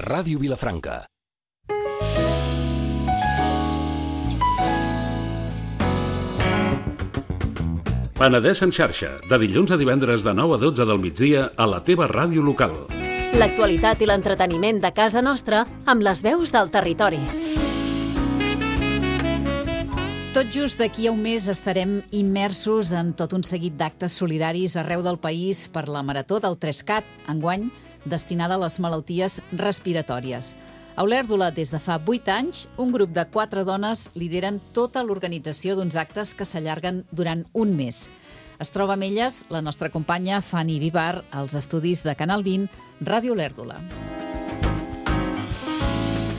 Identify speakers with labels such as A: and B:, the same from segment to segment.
A: Ràdio Vilafranca.
B: Penedès en xarxa, de dilluns a divendres de 9 a 12 del migdia a la teva ràdio local.
C: L'actualitat i l'entreteniment de casa nostra amb les veus del territori.
D: Tot just d'aquí a un mes estarem immersos en tot un seguit d'actes solidaris arreu del país per la Marató del 3CAT, enguany destinada a les malalties respiratòries. A Olèrdola, des de fa 8 anys, un grup de 4 dones lideren tota l'organització d'uns actes que s'allarguen durant un mes. Es troba amb elles la nostra companya Fanny Vivar, als estudis de Canal 20, Ràdio Olèrdola.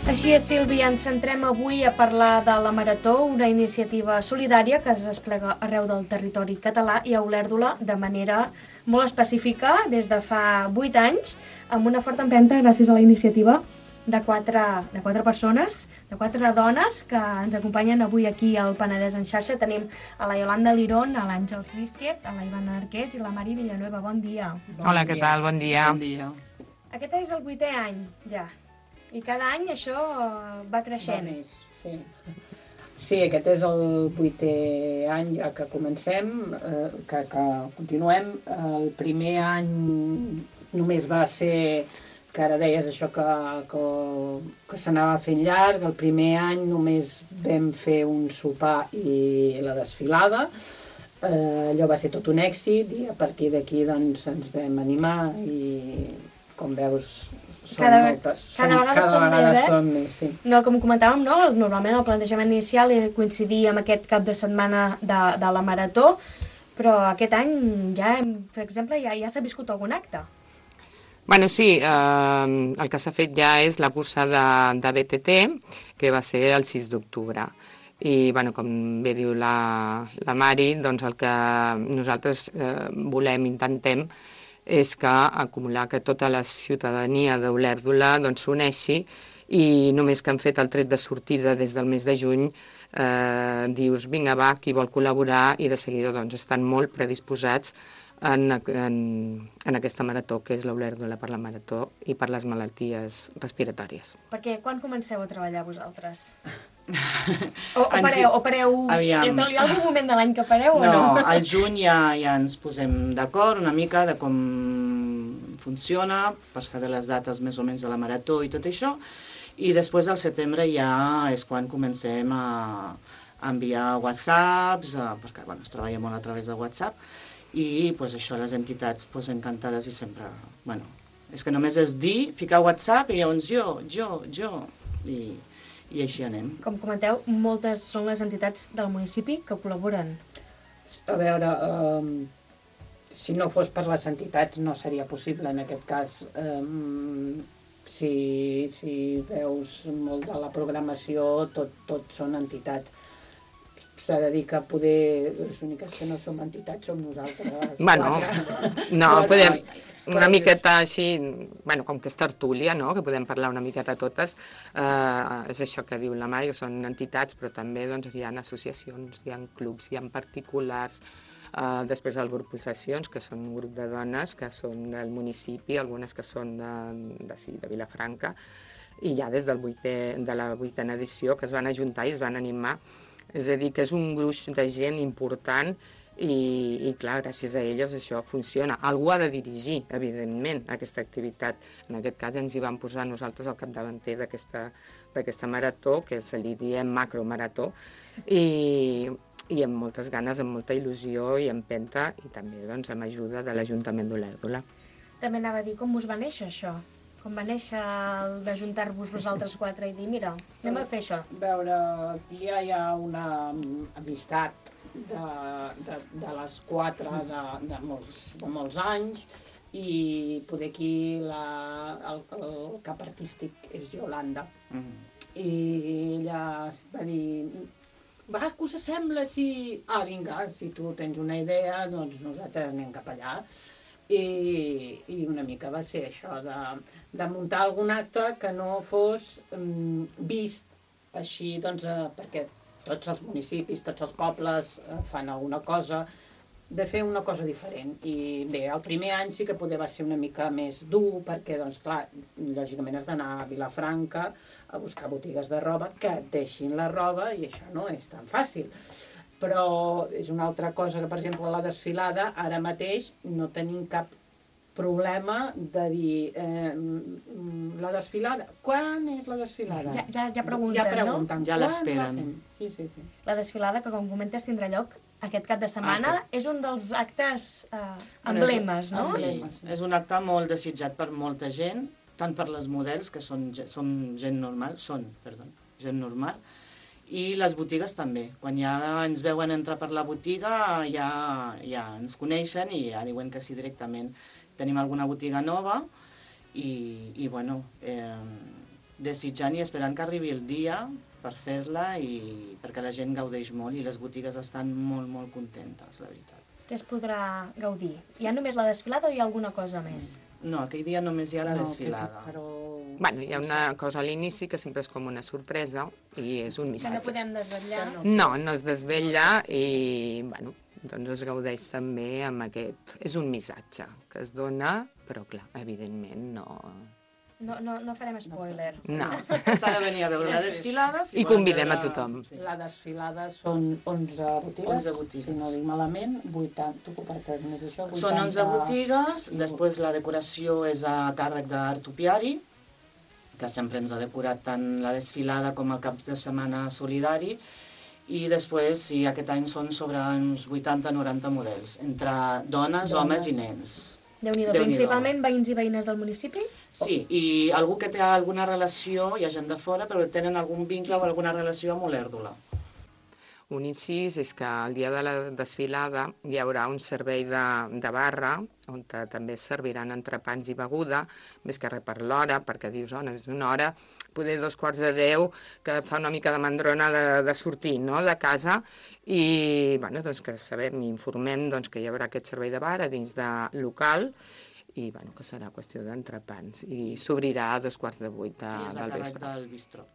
E: Així és, Sílvia, ens centrem avui a parlar de la Marató, una iniciativa solidària que es desplega arreu del territori català i a Olèrdola de manera molt específica des de fa 8 anys, amb una forta empenta gràcies a la iniciativa de quatre persones, de 4 dones que ens acompanyen avui aquí al Penedès en xarxa. Tenim a la Yolanda Lirón, a l'Àngel Rísquez, a la Ivana Arqués i la Mari Villanueva. Bon dia.
F: Hola, què tal? Bon dia.
G: Bon dia.
E: Aquest és el 8è any, ja. I cada any això va creixent.
G: Va més, sí. Sí, aquest és el 8è any ja que comencem, que continuem. El primer any només va ser, que ara deies això que s'anava fent llarg. El primer any només vam fer un sopar i la desfilada. Allò va ser tot un èxit i a partir d'aquí doncs, ens vam animar i, com veus,
E: Cada vegada
G: són més, sí.
E: No, com comentàvem, no? Normalment el plantejament inicial coincidia amb aquest cap de setmana de la Marató, però aquest any ja, per exemple, ja s'ha viscut algun acte.
F: Bueno, sí, el que s'ha fet ja és la cursa de BTT, que va ser el 6 d'octubre. I, bueno, com bé diu la Mari, doncs el que nosaltres intentem és que tota la ciutadania d'Olèrdola s'uneixi i només que han fet el tret de sortida des del mes de juny dius, vinga va, qui vol col·laborar, i de seguida estan molt predisposats en aquesta marató, que és l'Olèrdola per la Marató i per les malalties respiratòries.
E: Perquè quan comenceu a treballar vosaltres? O pareu? Hi ha algun moment de l'any que pareu o no?
H: No, al juny ja ens posem d'acord una mica de com funciona, per saber les dates més o menys de la marató i tot això, i després al setembre ja és quan comencem a enviar whatsapps, perquè es treballa molt a través de WhatsApp, i això les entitats encantades i sempre, és que només és dir, ficar WhatsApp i llavors jo, i així anem.
E: Com comenteu, moltes són les entitats del municipi que col·laboren.
G: A veure, si no fos per les entitats no seria possible en aquest cas. Si veus molt de la programació, tot són entitats. S'ha de dir que poder les úniques que no som entitats som nosaltres.
F: Bueno, no, podem... Una miqueta així, com que és tertúlia, no?, que podem parlar una miqueta totes, és això que diu la Mari, que són entitats, però també hi ha associacions, hi ha clubs, hi ha particulars, després el grup Pulsacions, que són un grup de dones que són del municipi, algunes que són de Vilafranca, i ja des de la 8a edició que es van ajuntar i es van animar. És a dir, que és un gruix de gent important i clar, gràcies a elles això funciona. Algú ha de dirigir, evidentment, aquesta activitat. En aquest cas ens hi vam posar nosaltres al capdavanter d'aquesta marató, que se li diem macromarató, i amb moltes ganes, amb molta il·lusió i empenta, i també amb ajuda de l'Ajuntament d'Olèrdola.
E: També anava a dir com us va néixer això? Com va néixer el d'ajuntar-vos vosaltres 4 i dir, mira, anem a fer això?
G: A veure, aquí ja hi ha una amistat de les 4 de molts anys, i poder aquí el cap artístic és Yolanda. I ella va dir, va, què us sembla si... vinga, si tu tens una idea, doncs nosaltres anem cap allà. I una mica va ser això, de muntar algun acte que no fos vist així, perquè tots els municipis, tots els pobles fan alguna cosa, de fer una cosa diferent. I bé, el primer any sí que poder va ser una mica més dur, perquè, doncs, clar, lògicament has d'anar a Vilafranca a buscar botigues de roba que et deixin la roba, i això no és tan fàcil. Però és una altra cosa que, per exemple, la desfilada, ara mateix no tenim cap problema de dir la desfilada, quan és la desfilada?
E: Ja pregunten,
G: ja pregunten,
E: no?
H: Ja l'esperen.
G: Sí.
E: La desfilada, que com comentes tindrà lloc aquest cap de setmana, és un dels actes emblemes, no?
H: Sí, és un acte molt desitjat per molta gent, tant per les models, que són gent normal, gent normal, i les botigues també. Quan ja ens veuen entrar per la botiga, ja ens coneixen i ja diuen que sí directament. Tenim alguna botiga nova i bueno, desitjant i esperant que arribi el dia per fer-la, i perquè la gent gaudeix molt i les botigues estan molt, molt contentes, la veritat.
E: Què es podrà gaudir? Hi ha només la desfilada o hi ha alguna cosa més?
H: No, aquell dia només hi ha la desfilada.
F: Bueno, hi ha una cosa a l'inici que sempre és com una sorpresa i és un
E: Que
F: missatge.
E: no podem desvetllar?
F: No es desvetlla i, bueno, doncs es gaudeix també amb aquest... És un missatge que es dona, però clar, evidentment no...
E: No farem spoiler.
F: No.
H: S'ha de venir a veure la desfilada.
F: I convidem a tothom.
G: La desfilada són 11 botigues, si no dic malament, 80, tu comparteix més això? 80...
H: Són 11 botigues, després la decoració és a càrrec d'Art Topiari, que sempre ens ha decorat tant la desfilada com el cap de setmana solidari, i després, sí, aquest any són sobre uns 80-90 models, entre dones, homes i nens.
E: Déu-n'hi-do, principalment veïns i veïnes del municipi?
H: Sí, i algú que té alguna relació, hi ha gent de fora, però tenen algun vincle o alguna relació amb Olèrdola.
F: Un incís és que el dia de la desfilada hi haurà un servei de barra on també es serviran entrepans i beguda, més que res per l'hora, perquè dius, és una hora, poder 2:45, que fa una mica de mandrona de sortir, no?, de casa, i bueno, doncs que sabem i informem doncs, que hi haurà aquest servei de bar a dins de local, i bueno, que serà qüestió d'entrepans, i s'obrirà a 7:15 del vespre.
H: I és a càrrec del bistró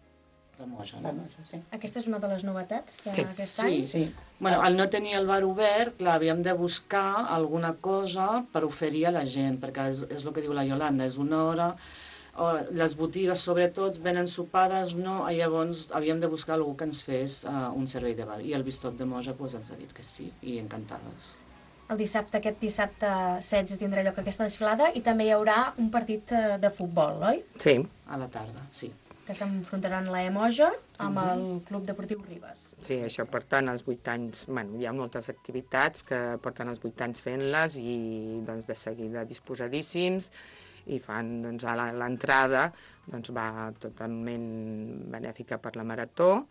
H: de Moja, no?
E: Sí. Aquesta és una de les novetats d'aquest any?
H: Sí. Bueno, al no tenir el bar obert, clar, havíem de buscar alguna cosa per oferir a la gent, perquè és el que diu la Iolanda, és una hora, les botigues sobretot venen sopades, no, llavors havíem de buscar algú que ens fes un servei de bar, i el Bistop de Moja ens ha dit que sí, i encantades.
E: Aquest dissabte 16 tindrà lloc aquesta desfilada i també hi haurà un partit de futbol, oi?
F: Sí.
H: A la tarda, sí.
E: Que s'enfrontaran la Moja amb el Club Deportiu Ribes.
F: Sí, això porten els 8 anys, bueno, hi ha moltes activitats que porten els 8 anys fent-les i doncs de seguida disposadíssims i fan, doncs, a l'entrada doncs va totalment benèfica per la marató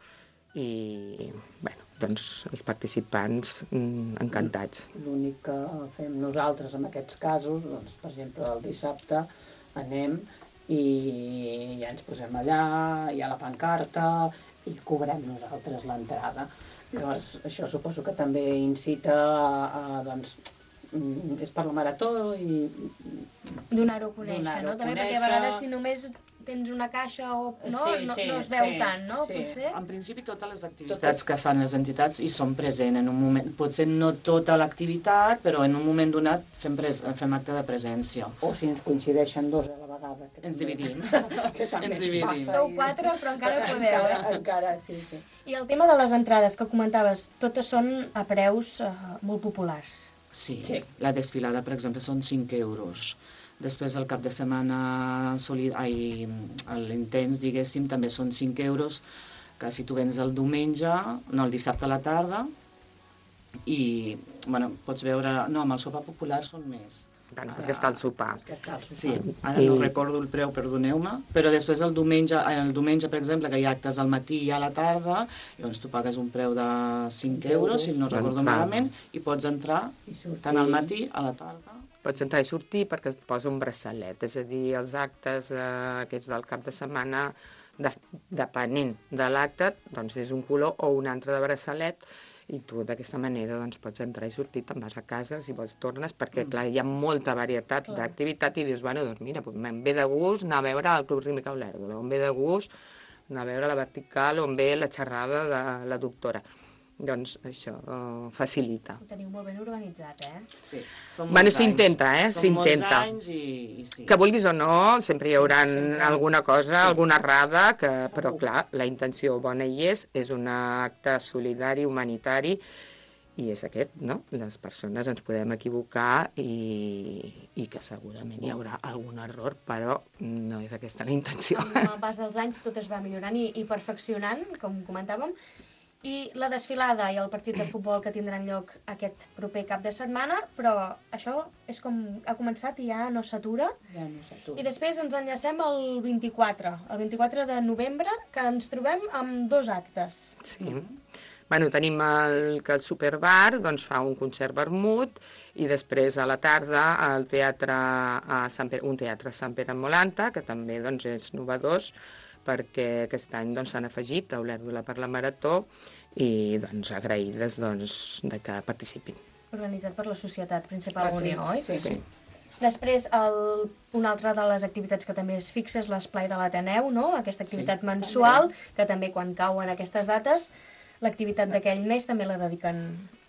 F: i, bueno, doncs els participants encantats.
G: L'únic que fem nosaltres en aquests casos, doncs, per exemple, el dissabte anem i ja ens posem allà, hi ha la pancarta i cobrem nosaltres l'entrada. Llavors, això suposo que també incita doncs, és per la marató i...
E: Donar-ho a conèixer, no? També perquè a vegades si només tens una caixa o no, no es veu tant, no? Potser?
H: En principi totes les activitats que fan les entitats hi són presents en un moment, potser no tota l'activitat, però en un moment donat fem acte de presència.
G: O si ens coincideixen dos a la vegada.
H: Ens dividim.
G: Ens dividim.
E: Sou 4, però encara podeu.
G: Encara, sí.
E: I el tema de les entrades que comentaves, totes són a preus molt populars.
H: Sí, la desfilada, per exemple, són 5 euros. Després el cap de setmana l'intens, diguéssim, també són 5 euros, que si tu vens el diumenge, no, el dissabte a la tarda, i, bueno, pots veure... No, amb el sopar popular són més.
F: Bueno, perquè està el sopar.
H: Sí, ara no recordo el preu, perdoneu-me, però després el diumenge, per exemple, que hi ha actes al matí i a la tarda, llavors tu pagues un preu de 5 euros, si no recordo malament, i pots entrar tant al matí a la tarda.
F: Pots entrar i sortir perquè et posa un braçalet, és a dir, els actes aquests del cap de setmana, depenent de l'acte, doncs és un color o un altre de braçalet, i tu d'aquesta manera doncs, pots entrar i sortir, te'n vas a casa, si vols tornes, perquè clar, hi ha molta varietat d'activitat i dius, bueno, doncs mira, em ve de gust anar a veure el Club Rítmic Olèrdola, em ve de gust anar a veure la vertical, o em ve la xerrada de la doctora. doncs això facilita.
E: Ho teniu molt ben organitzat,
H: Sí, són
F: Bueno,
H: molts
F: s'intenta,
H: anys.
F: s'intenta.
H: Són molts anys i sí.
F: Que vulguis o no, sempre hi haurà
H: sempre
F: alguna cosa,
H: sí.
F: alguna errada, però clar, la intenció bona hi és un acte solidari, humanitari, i és aquest, no? Les persones ens podem equivocar i que segurament hi haurà algun error, però no és aquesta la intenció.
E: Amb el pas dels anys tot es va millorant i perfeccionant, com comentàvem, i la desfilada i el partit de futbol que tindran lloc aquest proper cap de setmana, però això és com ha començat i ja no s'atura.
G: Ja no s'atura.
E: I després ens enllacem el 24 de novembre, que ens trobem amb 2 actes.
F: Sí. Bueno, tenim que el Superbar doncs, fa un concert vermut i després a la tarda un teatre a Sant Pere en Molanta, que també doncs, és novedós, perquè aquest any s'han afegit a Olèrdola per la Marató i doncs, agraïdes de que participin.
E: Organitzat per la Societat Principal Unió, oi?
F: Sí.
E: Després, una altra de les activitats que també és fixa és l'Esplai de l'Ateneu, no? Aquesta activitat mensual, que també quan cauen aquestes dates, l'activitat d'aquell mes també la dediquen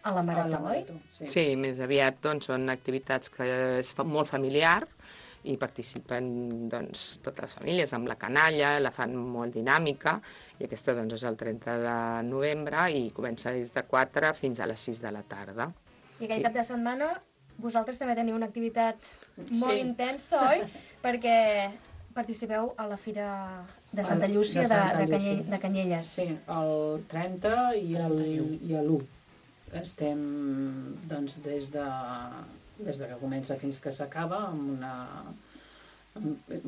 E: a la Marató, oi?
F: Sí, més aviat són activitats que es fan molt familiar i participen totes les famílies amb la canalla, la fan molt dinàmica i aquesta és el 30 de novembre i comença des de 4 fins a les 6 de la tarda.
E: I aquell cap de setmana vosaltres també teniu una activitat molt intensa, oi? Perquè participeu a la Fira de Santa Llúcia de Canyelles.
G: Sí, el 30 i l'1. Estem, doncs, des de que comença fins que s'acaba, amb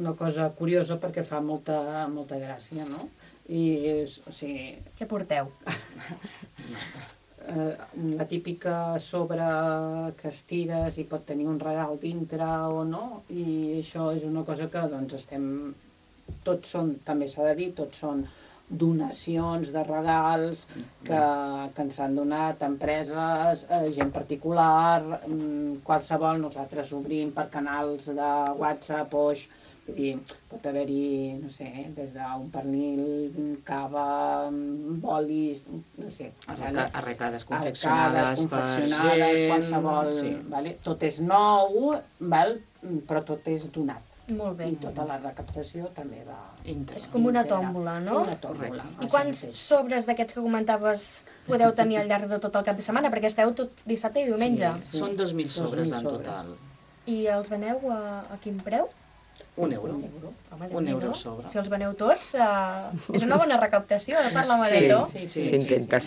G: una cosa curiosa perquè fa molta gràcia, no?
E: Què porteu?
G: La típica sobre que estires i pot tenir un regal dintre o no, i això és una cosa que estem... Tots són, també s'ha de dir, tots són donacions de regals que ens han donat empreses, gent particular, qualsevol. Nosaltres obrim per canals de WhatsApp o vull dir, pot haver-hi, no sé, des d'un pernil, cava, bolis, no sé.
H: Arrecades confeccionades per gent...
G: qualsevol... Vale? Tot és nou, però tot és donat.
E: Molt bé.
G: I tota la recaptació també va...
E: És com una tòmbola, no?
G: Una tòmbola.
E: I quants sobres d'aquests que comentaves podeu tenir al llarg de tot el cap de setmana? Perquè esteu tot dissabte i diumenge.
H: Sí, són 2.000 sobres en total.
E: I els veneu a quin preu?
H: €1.
E: Home,
H: €1 sobre.
E: Si els veneu tots, és una bona recaptació per la Marató.
F: Sí, s'intenta.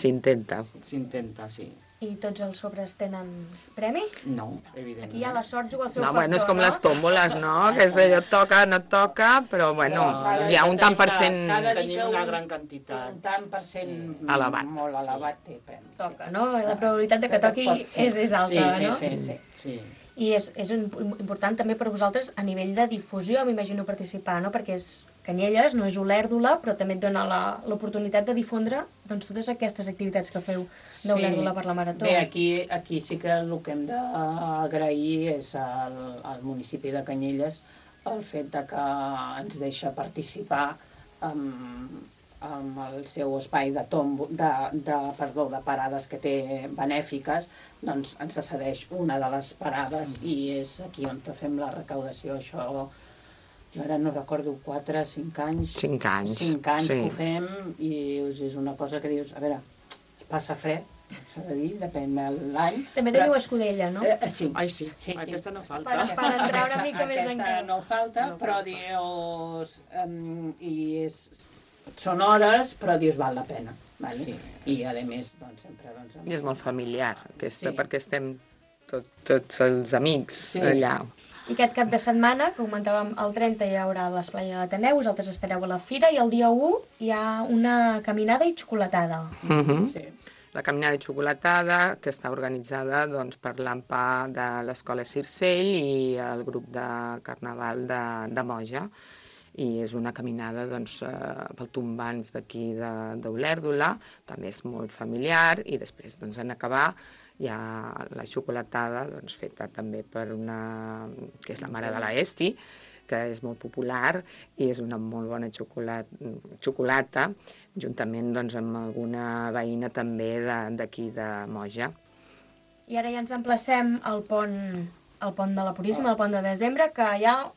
H: S'intenta, sí.
E: I tots els sobres tenen premi?
H: No, evidentment.
E: Aquí ja la sort juga al seu
F: No,
E: factor,
F: bueno, és com les tòmboles, no? Que és allò toca, no toca, però bueno, hi ha un tant per cent...
H: Tenim una gran quantitat.
G: Un tant per cent
F: elevat.
G: Molt elevat té premi.
E: Toca, no? La probabilitat de que toqui és alta, no?
G: Sí.
E: I és important també per vosaltres a nivell de difusió, m'imagino participar, no? Perquè és Canyelles, no és Olèrdola, però també et dona l'oportunitat de difondre totes aquestes activitats que feu d'Olèrdola per la Marató.
G: Bé, aquí sí que el que hem d'agrair és al municipi de Canyelles el fet de que ens deixa participar amb el seu espai de parades que té benèfiques, doncs ens cedeix una de les parades i és aquí on fem la recaudació. Això jo ara no recordo, 4 o 5 anys.
F: 5 anys.
G: 5 anys que ho fem i és una cosa que dius, a veure, es passa fred, s'ha de dir, depèn de l'any.
E: També teniu escudella, no?
G: Sí.
H: Ai, sí. Aquesta no falta.
E: Per entrar una mica més en
G: Aquesta no falta, però dius... Són hores, però dius, val la pena. Sí. I a més, doncs, sempre...
F: I és molt familiar, perquè estem tots els amics allà.
E: I aquest cap de setmana, que comentàvem, el 30 hi haurà l'esplai a l'Ateneu, vosaltres estareu a la Fira, i el dia 1 hi ha una caminada i xocolatada.
F: La caminada i xocolatada, que està organitzada per l'AMPA de l'Escola Circell i el grup de Carnaval de Moja. I és una caminada pel tombants d'aquí d'Olèrdola, també és molt familiar, i després en acabar hi ha la xocolatada feta també per una, que és la mare de l'Esti, que és molt popular i és una molt bona xocolata, juntament doncs, amb alguna veïna també d'aquí de Moja.
E: I ara ja ens emplacem al pont de la Puríssima, al pont de desembre, que hi ha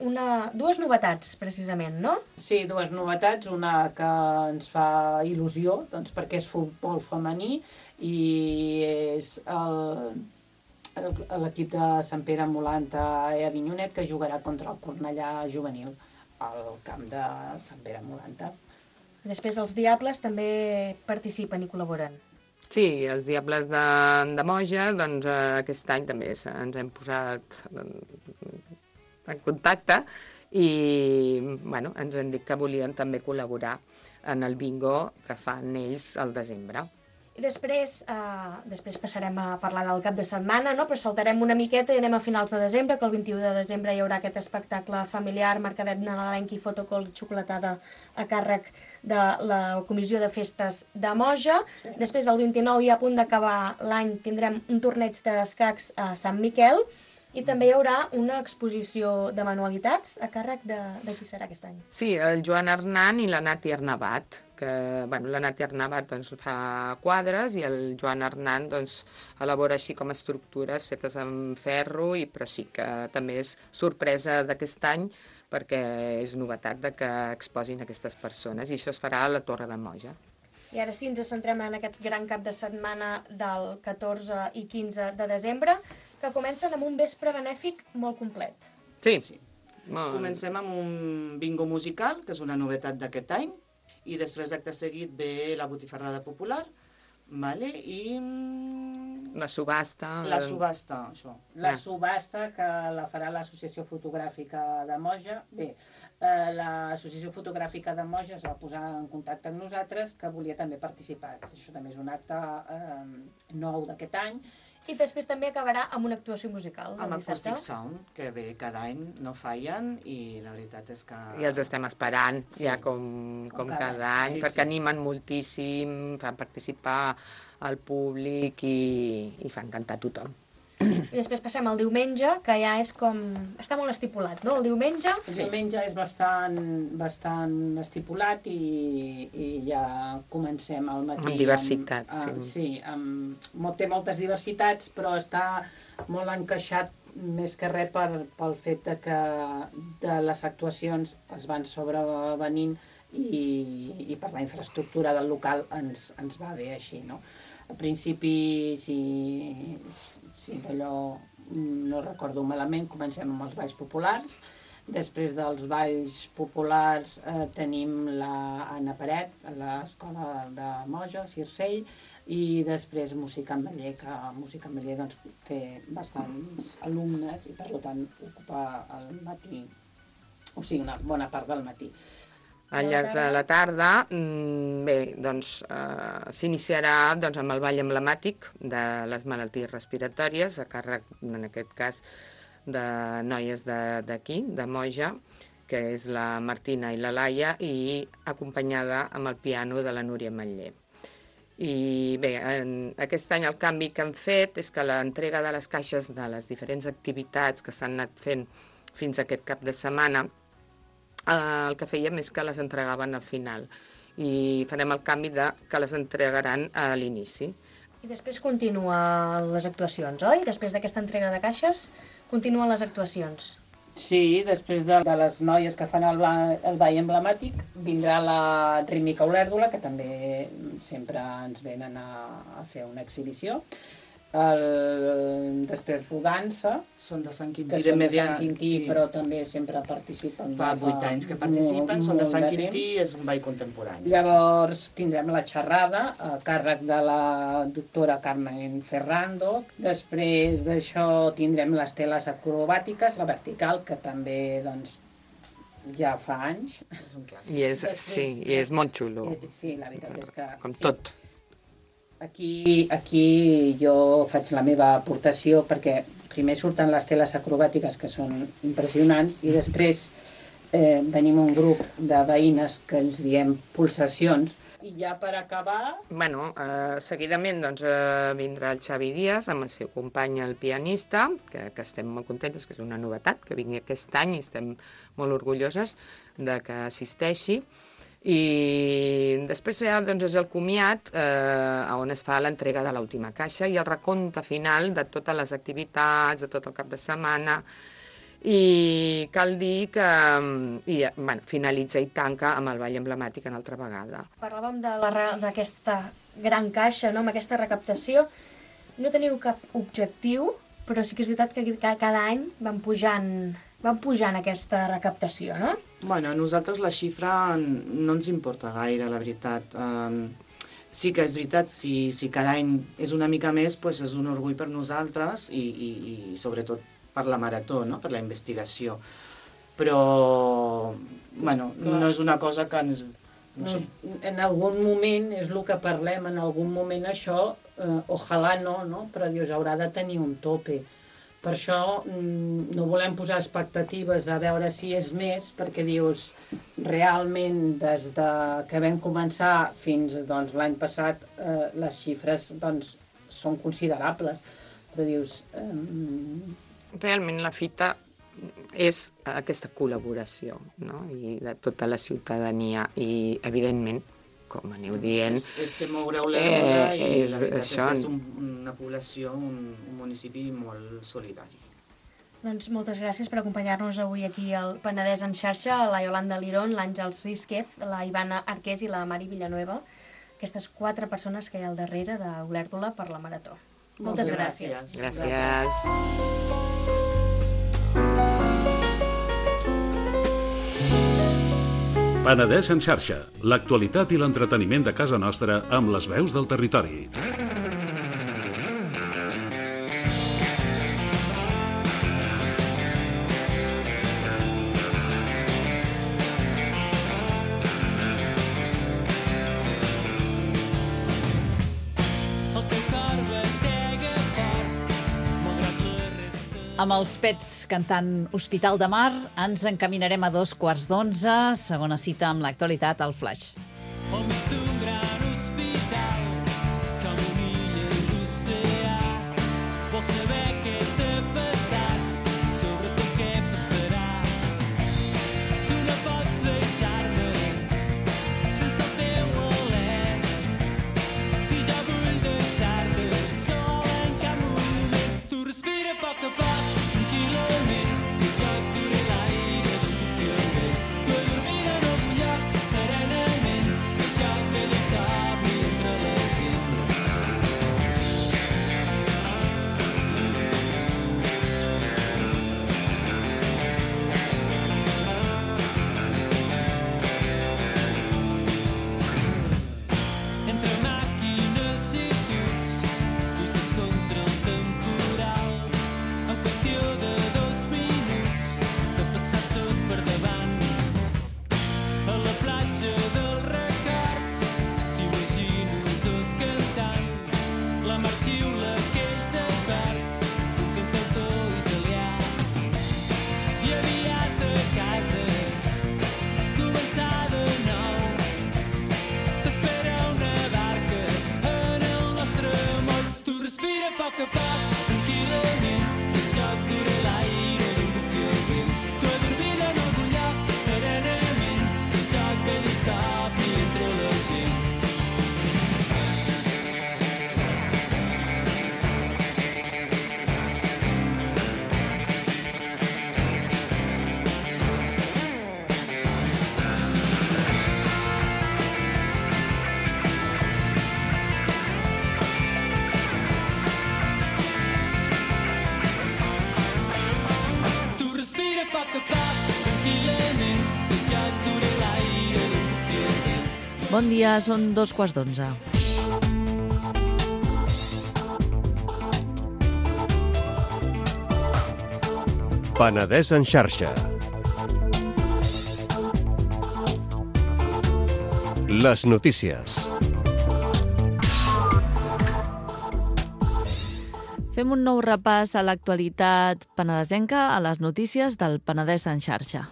E: dues novetats, precisament, no?
G: Sí, dues novetats. Una que ens fa il·lusió, doncs, perquè és futbol femení i és l'equip de Sant Pere Molanta a Avinyonet, que jugarà contra el Cornellà juvenil al camp de Sant Pere Molanta.
E: Després els Diables també participen i col·laboren.
F: Sí, els Diables de Moja, doncs aquest any també ens hem posat en contacte i bueno, ens han dit que volien també col·laborar en el bingo que fan ells al desembre.
E: I després passarem a parlar del cap de setmana, no? Però saltarem una miqueta i anem a finals de desembre, que el 21 de desembre hi haurà aquest espectacle familiar, mercadet nadalenc i fotocol xocolatada a càrrec de la Comissió de Festes de Moja. Sí. Després, el 29, i a punt d'acabar l'any, tindrem un torneig d'escacs a Sant Miquel i també hi haurà una exposició de manualitats a càrrec de qui serà aquest any.
F: Sí, el Joan Arnant i la Nati Arnabat, que la Nati Arnabat doncs, fa quadres i el Joan Arnant doncs, elabora així com estructures fetes amb ferro, però sí que també és sorpresa d'aquest any perquè és novetat de que exposin aquestes persones i això es farà a la Torre de Moja.
E: I ara sí, ens centrem en aquest gran cap de setmana del 14 i 15 de desembre, que comencen amb un vespre benèfic molt complet.
F: Sí.
H: Comencem amb un bingo musical, que és una novetat d'aquest any, i després d'acte seguit ve la botifarrada popular, vale? I
F: la subhasta.
H: La subhasta, això.
G: La subhasta, que la farà l'Associació Fotogràfica de Moja. Bé, l'Associació Fotogràfica de Moja es va posar en contacte amb nosaltres, que volia també participar. Això també és un acte nou d'aquest any.
E: I després també acabarà amb una actuació musical.
H: Amb Acoustic Sound, que bé, cada any no fallen i la veritat és que...
F: I els estem esperant, ja com cada any, perquè animen moltíssim, fan participar al públic i fan cantar tothom.
E: I després passem al diumenge, que ja és com... està molt estipulat, no? El diumenge...
G: El diumenge és bastant estipulat i ja comencem al matí...
F: Amb diversitat, sí.
G: Sí, té moltes diversitats, però està molt encaixat més que res pel fet que de les actuacions es van sobrevenint i per la infraestructura del local ens va bé així, no? Al principi, si d'allò no recordo malament, comencem amb els balls populars. Després dels balls populars tenim l'Anna Paret, a l'Escola de Moja, Circell, i després música en Baller, que música en Baller doncs, té bastants alumnes i per tant ocupa el matí, o sigui, una bona part del matí.
F: Al llarg de la tarda, bé, doncs s'iniciarà doncs, amb el ball emblemàtic de les malalties respiratòries, a càrrec, en aquest cas, de noies d'aquí, de Moja, que és la Martina i la Laia, i acompanyada amb el piano de la Núria Matller. I bé, aquest any el canvi que han fet és que l'entrega de les caixes de les diferents activitats que s'han anat fent fins a aquest cap de setmana, el que fèiem és que les entregaven al final i farem el canvi que les entregaran a l'inici.
E: I després continuen les actuacions, oi? Després d'aquesta entrega de caixes, continuen les actuacions.
G: Sí, després de les noies que fan el ball emblemàtic, vindrà la Rítmica Olèrdola, que també sempre ens venen a fer una exhibició. Després Rodança,
H: són de Sant
G: Quintí, però també sempre participen.
H: Fa 8 anys que participen, són de Sant Quintí, és un ball contemporani.
G: Llavors tindrem la xerrada a càrrec de la doctora Carmen Ferrando. Després d'això tindrem les teles acrobàtiques, la vertical, que també doncs, ja fa anys.
H: És un clàssic.
F: I és molt xulo.
G: Sí, la veritat és que...
F: Com tot.
G: Aquí jo faig la meva aportació perquè primer surten les teles acrobàtiques que són impressionants i després venim un grup de veïnes que ens diem pulsacions I ja per acabar...
F: Bueno, seguidament vindrà el Xavi Díaz amb el seu company, el pianista, que estem molt contentes, que és una novetat, que vingui aquest any i estem molt orgulloses de que assisteixi. I després ja és el comiat on es fa l'entrega de l'última caixa i el recompte final de totes les activitats, de tot el cap de setmana. I cal dir que finalitza i tanca amb el ball emblemàtic una altra vegada.
E: Parlàvem d'aquesta gran caixa, no? Amb aquesta recaptació. No teniu cap objectiu, però sí que és veritat que cada any van pujant aquesta recaptació, no?
H: Bueno, a nosaltres la xifra no ens importa gaire, la veritat. Sí que és veritat, si cada any és una mica més, doncs és un orgull per nosaltres i sobretot per la marató, no? Per la investigació. Però, bueno, no és una cosa que ens...
G: No sé. En algun moment, és el que parlem, en algun moment això, ojalà no? Però dius, haurà de tenir un tope. Per això no volem posar expectatives a veure si és més, perquè dius, realment, des que vam començar fins l'any passat, les xifres són considerables. Però dius...
F: Realment la fita és aquesta col·laboració, no? I de tota la ciutadania i, evidentment, com aneu dient...
H: És fer moure Olèrdola i la veritat és una població, un municipi molt solidari.
E: Doncs moltes gràcies per acompanyar-nos avui aquí al Penedès en xarxa, la Yolanda Lirón, l'Àngels Rísquez, la Ivana Arqués i la Mari Villanueva, aquestes 4 persones que hi ha al darrere d'Olèrdola per la Marató. Moltes gràcies.
F: Gràcies.
B: Penedès en xarxa, l'actualitat i l'entreteniment de casa nostra amb les veus del territori.
D: Amb els Pets cantant Hospital de Mar, ens encaminarem a 11:15, segona cita amb l'actualitat al Flaix.
A: Al mig d'un gran hospital, com una illa en l'oceà, vols saber què t'ha passat i sobretot què passarà. Tu no pots deixar-me sense el teu alè i jo vull deixar-te sol en cap moment. Tu respira a poc, tranquil·lament, que jo et duré l'aire d'un bufi al vent. Tu adormida en algun lloc, serenament, que jo et ve l'insomni entre la gent. Entre màquines i tuts, lluites contra el temporal. En qüestió de 2 minuts t'ha passat tot per davant. A la platja dels records t'imagino tot cantant. La mar xiula aquells acords d'un cantautor italià. I aviat a casa començar de nou. T'espera una barca en el nostre moll. Tu respira a poc, tranquil·lament, que jo et duré l'aire d'un bufi al vent. Tu adormida en algun lloc, serenament, que jo et ve l'insomni entre la gent. Tu respira a poc, tranquil·lament, que jo et duré l'aire d'un bufi al vent.
I: Bon dia, són 11:15.
J: Penedès en xarxa. Les notícies.
I: Fem un nou repàs a l'actualitat penedesenca a les notícies del Penedès en xarxa.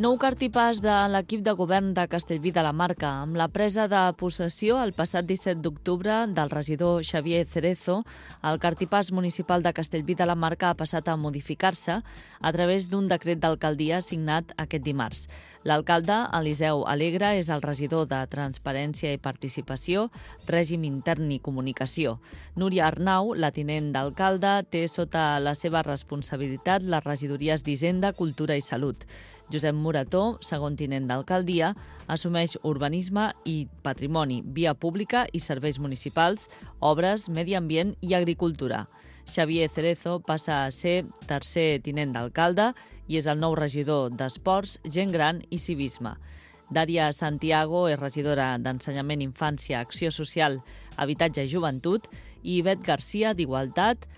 I: Nou cartipàs de l'equip de govern de Castellví de la Marca, amb la presa de possessió el passat 17 d'octubre del regidor Xavier Cerezo, el cartipàs municipal de Castellví de la Marca ha passat a modificar-se a través d'un decret d'alcaldia signat aquest dimarts. L'alcalde, Eliseu Alegre, és el regidor de Transparència i Participació, Règim Intern i Comunicació. Núria Arnau, la tinent d'alcalde, té sota la seva responsabilitat les regidories d'Hisenda, Cultura i Salut. Josep Morató, segon tinent d'alcaldia, assumeix urbanisme i patrimoni, via pública i serveis municipals, obres, medi ambient i agricultura. Xavier Cerezo passa a ser tercer tinent d'alcalde i és el nou regidor d'Esports, Gent Gran i Civisme. Dària Santiago és regidora d'Ensenyament, Infància, Acció Social, Habitatge i Joventut i Ivet Garcia d'Igualtat,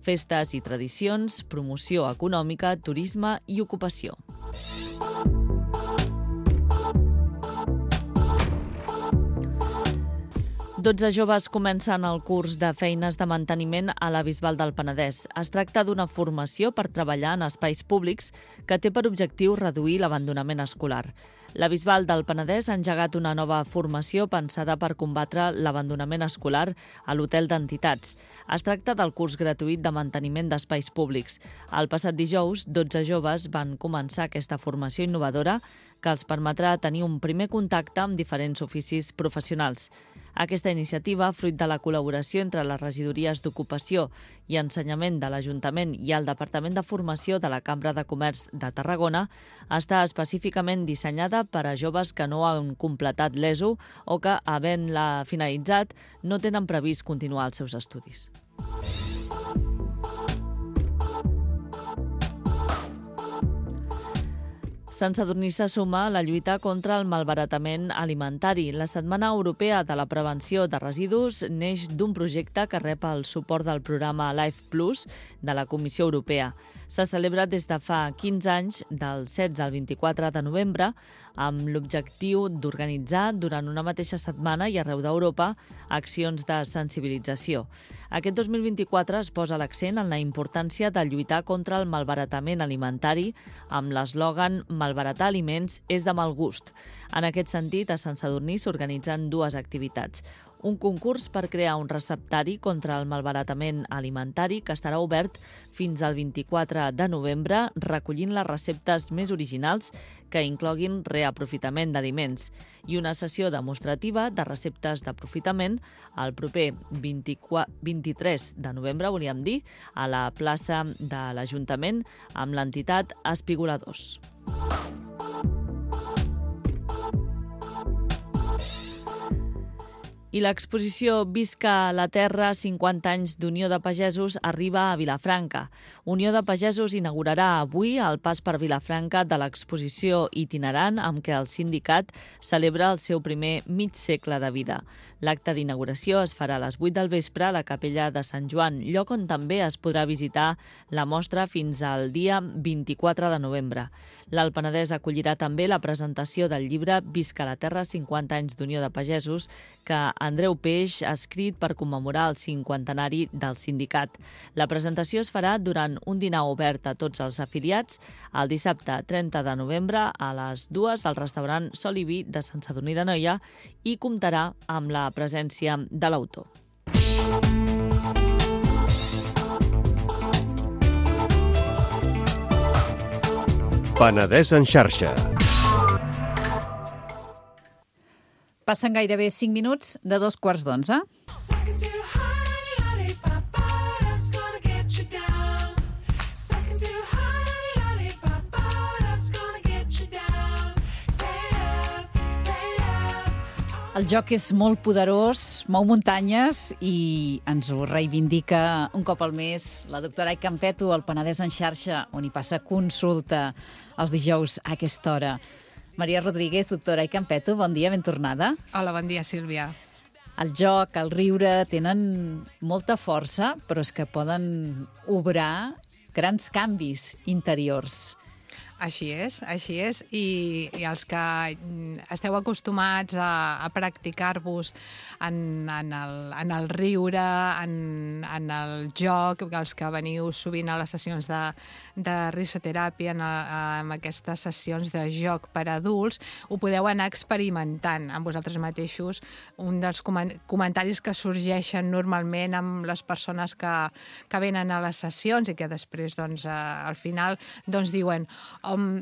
I: Festes i Tradicions, Promoció Econòmica, Turisme i Ocupació. Dotze joves comencen el curs de feines de manteniment a la Bisbal del Penedès. Es tracta d'una formació per treballar en espais públics que té per objectiu reduir l'abandonament escolar. La Bisbal del Penedès ha engegat una nova formació pensada per combatre l'abandonament escolar a l'Hotel d'Entitats. Es tracta del curs gratuït de manteniment d'espais públics. El passat dijous, 12 joves van començar aquesta formació innovadora que els permetrà tenir un primer contacte amb diferents oficis professionals. Aquesta iniciativa, fruit de la col·laboració entre les regidories d'Ocupació i Ensenyament de l'Ajuntament i el Departament de Formació de la Cambra de Comerç de Tarragona, està específicament dissenyada per a joves que no han completat l'ESO o que, havent-la finalitzat, no tenen previst continuar els seus estudis. Sant Sadurní se suma a la lluita contra el malbaratament alimentari. La Setmana Europea de la Prevenció de Residus neix d'un projecte que rep el suport del programa Life Plus de la Comissió Europea. S'ha celebrat des de fa 15 anys, del 16 al 24 de novembre, amb l'objectiu d'organitzar durant una mateixa setmana i arreu d'Europa accions de sensibilització. Aquest 2024 es posa l'accent en la importància de lluitar contra el malbaratament alimentari amb l'eslògan «Malbaratar aliments és de mal gust». En aquest sentit, a Sant Sadurní s'organitzen dues activitats. Un concurs per crear un receptari contra el malbaratament alimentari que estarà obert fins al 24 de novembre, recollint les receptes més originals que incloguin reaprofitament d'aliments, i una sessió demostrativa de receptes d'aprofitament el proper 23 de novembre, volíem dir, a la plaça de l'Ajuntament amb l'entitat Espigoladors. I l'exposició Visca la Terra, 50 anys d'Unió de Pagesos, arriba a Vilafranca. Unió de Pagesos inaugurarà avui el pas per Vilafranca de l'exposició itinerant amb què el sindicat celebra el seu primer mig segle de vida. L'acte d'inauguració es farà a les 8 del vespre a la Capella de Sant Joan, lloc on també es podrà visitar la mostra fins al dia 24 de novembre. L'Alt Penedès acollirà també la presentació del llibre Visca la Terra, 50 anys d'Unió de Pagesos, que Andreu Peix ha escrit per commemorar el 50enari del sindicat. La presentació es farà durant un dinar obert a tots els afiliats el dissabte 30 de novembre a les 2 al restaurant Sol i Vi de Sant Sadurní d'Anoia i comptarà amb la presència de l'autor.
J: Penedès en xarxa.
D: Passen gairebé 5 minuts de 2:15. El joc és molt poderós, mou muntanyes i ens ho reivindica un cop al mes la doctora Ai Campeto, al Penedès en xarxa, on hi passa consulta els dijous a aquesta hora. Maria Rodríguez, doctora Ai Campeto, bon dia, ben tornada.
K: Hola, bon dia, Sílvia.
D: El joc, el riure, tenen molta força, però és que poden obrar grans canvis interiors.
K: Així és. I els que esteu acostumats a practicar-vos en el riure, en el joc, els que veniu sovint a les sessions de risoteràpia, en aquestes sessions de joc per a adults, ho podeu anar experimentant amb vosaltres mateixos. Un dels comentaris que sorgeixen normalment amb les persones que venen a les sessions i que després, doncs, al final, doncs, diuen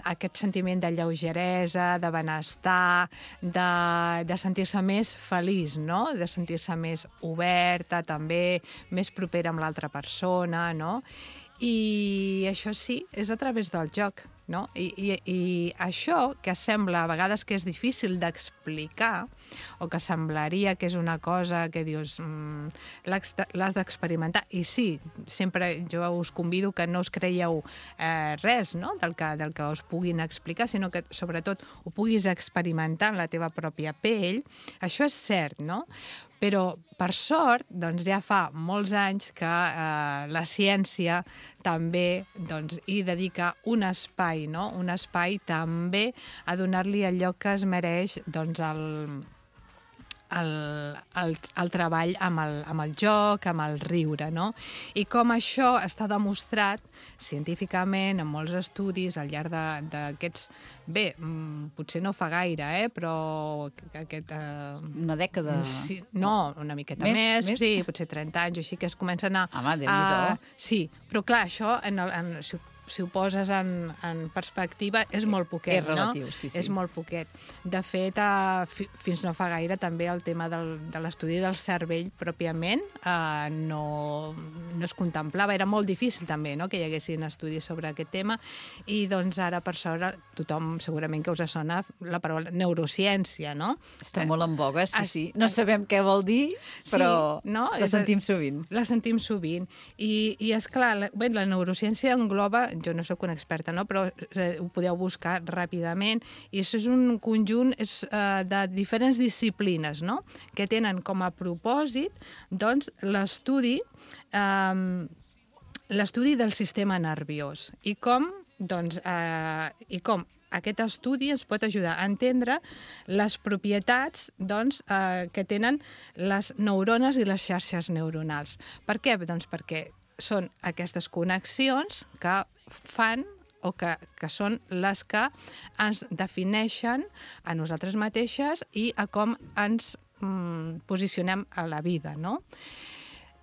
K: aquest sentiment de lleugeresa, de benestar, de sentir-se més feliç, no? De sentir-se més oberta, també, més propera amb l'altra persona, no? I això sí, és a través del joc, no? I això, que sembla a vegades que és difícil d'explicar, o que semblaria que és una cosa que dius l'has d'experimentar, i sí, sempre jo us convido que no us creieu res, no?, del que us puguin explicar, sinó que sobretot ho puguis experimentar en la teva pròpia pell. Això és cert, no? Però, per sort, doncs ja fa molts anys que la ciència també hi dedica un espai, no? Un espai també a donar-li el lloc que es mereix, doncs, el treball amb el joc, amb el riure, no? I com això està demostrat científicament en molts estudis al llarg d'aquests... Bé, potser no fa gaire, però...
D: Una dècada?
K: Sí, no, una miqueta més, sí, potser 30 anys, així que es comencen a...
D: Home, Déu-n'hi-do.
K: Sí, però clar, això, si ho poses en perspectiva, és molt poquet,
D: és relatiu,
K: no?
D: Sí.
K: És molt poquet. De fet, fins no fa gaire, també el tema de l'estudi del cervell pròpiament no es contemplava. Era molt difícil també, no?, que hi haguessin estudis sobre aquest tema, i doncs ara, per sort, tothom segurament que us sona la paraula neurociència, no?
D: Està molt en boga, sí. No sabem què vol dir, però la sentim sovint.
K: La sentim sovint. I esclar, la neurociència engloba, jo no sóc una experta, no?, però ho podeu buscar ràpidament, i això és un conjunt de diferents disciplines, no?, que tenen com a propòsit, doncs, l'estudi del sistema nerviós i com aquest estudi ens pot ajudar a entendre les propietats, doncs, que tenen les neurones i les xarxes neuronals. Per què? Doncs perquè són aquestes connexions que fan o que són les que ens defineixen a nosaltres mateixes i a com ens posicionem a la vida, no?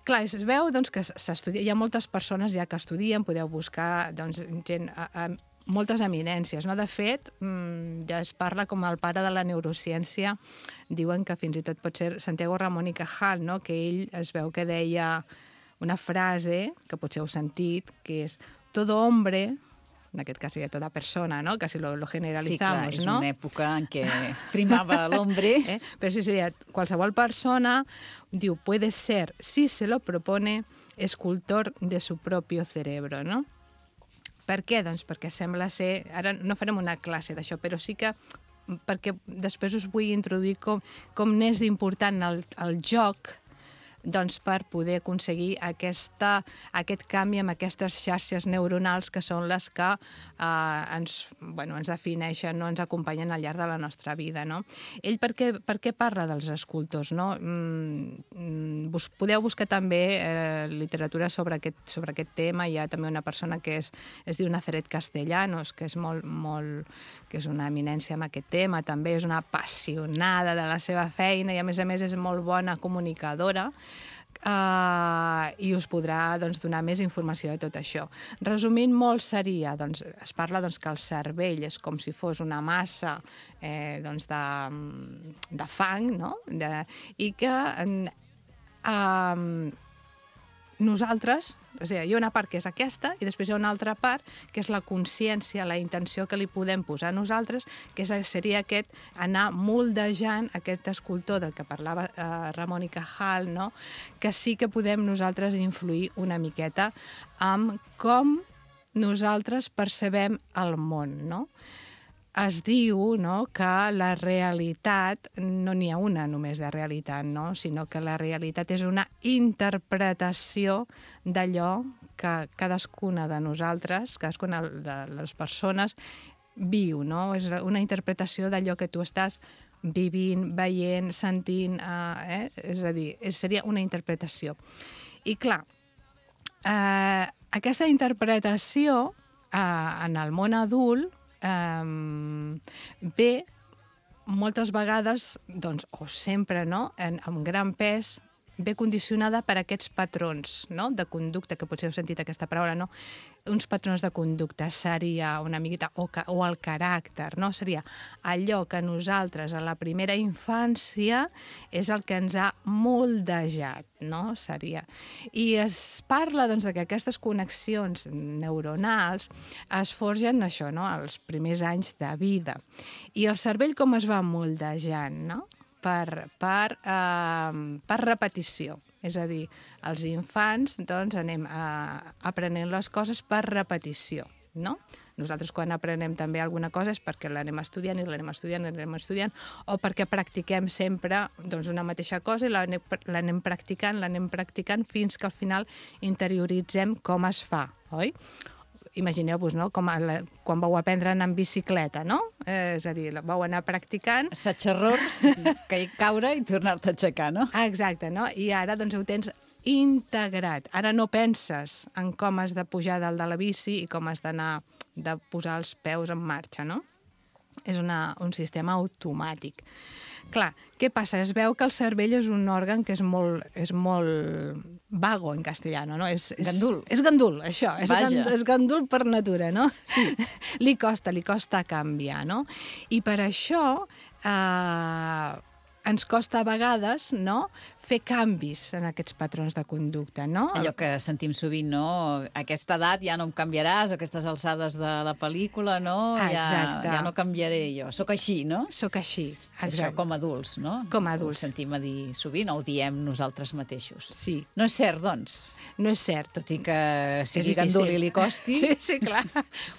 K: Clar, es veu doncs, que s'estudia, hi ha moltes persones ja que estudien, podeu buscar doncs, gent, moltes eminències, no? De fet, ja es parla com el pare de la neurociència, diuen que fins i tot pot ser Santiago Ramón y Cajal, no? Que ell es veu que deia una frase, que potser heu sentit, que és todo hombre, en aquest cas seria toda persona, ¿no? Casi lo generalizamos,
D: sí, clar, és
K: ¿no?
D: una època en què primava l'hombre.
K: Però sí, seria qualsevol persona, diu, puede ser, si se lo propone, escultor de su propio cerebro, no? Per què? Doncs perquè sembla ser... Ara no farem una classe d'això, però sí que perquè després us vull introduir com n'és d'important el joc, doncs, per poder aconseguir aquest canvi amb aquestes xarxes neuronals que són les que ens defineixen, no, ens acompanyen al llarg de la nostra vida, no? Ell per què parla dels escultors, no? Podeu buscar també literatura sobre aquest tema. Hi ha també una persona que es diu Nazaret Castellanos, que és que és una eminència en aquest tema, també és una apassionada de la seva feina i a més és molt bona comunicadora. I us podrà donar més informació de tot això. Resumint molt seria, es parla que el cervell és com si fos una massa de fang, no? I que nosaltres, o sigui, hi ha una part que és aquesta i després hi ha una altra part que és la consciència, la intenció que li podem posar nosaltres, que seria anar moldejant aquest escultor del que parlava Ramón y Cajal, no? Que sí que podem nosaltres influir una miqueta amb com nosaltres percebem el món, no? Es diu, no, que la realitat, no n'hi ha una només de realitat, no? Sinó que la realitat és una interpretació d'allò que cadascuna de nosaltres, cadascuna de les persones, viu, no? És una interpretació d'allò que tu estàs vivint, veient, sentint, és a dir, seria una interpretació. I clar, aquesta interpretació en el món adult ve moltes vegades, doncs, o sempre, no?, amb gran pes, ve condicionada per aquests patrons, no?, de conducta, que potser heu sentit aquesta paraula, no?, uns patrons de conducta seria una miqueta, o el caràcter, no?, seria allò que nosaltres a la primera infància és el que ens ha moldejat, no?, seria. I es parla, doncs, que aquestes connexions neuronals es forgen això, no?, als primers anys de vida. I el cervell com es va moldejant, no?, per repetició. És a dir, els infants, doncs, anem aprenent les coses per repetició, no? Nosaltres quan aprenem també alguna cosa és perquè l'anem estudiant i l'anem estudiant i l'anem estudiant, o perquè practiquem sempre, doncs, una mateixa cosa i l'anem practicant fins que al final interioritzem com es fa, oi? Imagineu-vos, no?, com quan vau aprendre a anar en bicicleta, no? És a dir, vau anar practicant...
D: Assaig-error, caure i tornar-te a aixecar, no?
K: Exacte, no? I ara, doncs, ho tens integrat. Ara no penses en com has de pujar dalt de la bici i com has de posar els peus en marxa, no? És un sistema automàtic. Clar, què passa? Es veu que el cervell és un òrgan que és molt vago en castellano, no?
D: Gandul.
K: És gandul, això.
D: Vaja.
K: És gandul per natura, no?
D: Sí.
K: Li costa canviar, no? I per això ens costa a vegades, no?, fer canvis en aquests patrons de conducta, no?
D: Allò que sentim sovint, no? A aquesta edat ja no em canviaràs, o aquestes alçades de la pel·lícula, no?
K: Exacte.
D: Ja no canviaré jo. Soc així, no?
K: Soc així, exacte.
D: Això com a adults, no?
K: Com a adults.
D: Ho sentim a dir sovint, o ho diem nosaltres mateixos.
K: Sí.
D: No és cert, doncs?
K: No és cert.
D: Tot i que sigui gandul i li costi.
K: Sí, clar.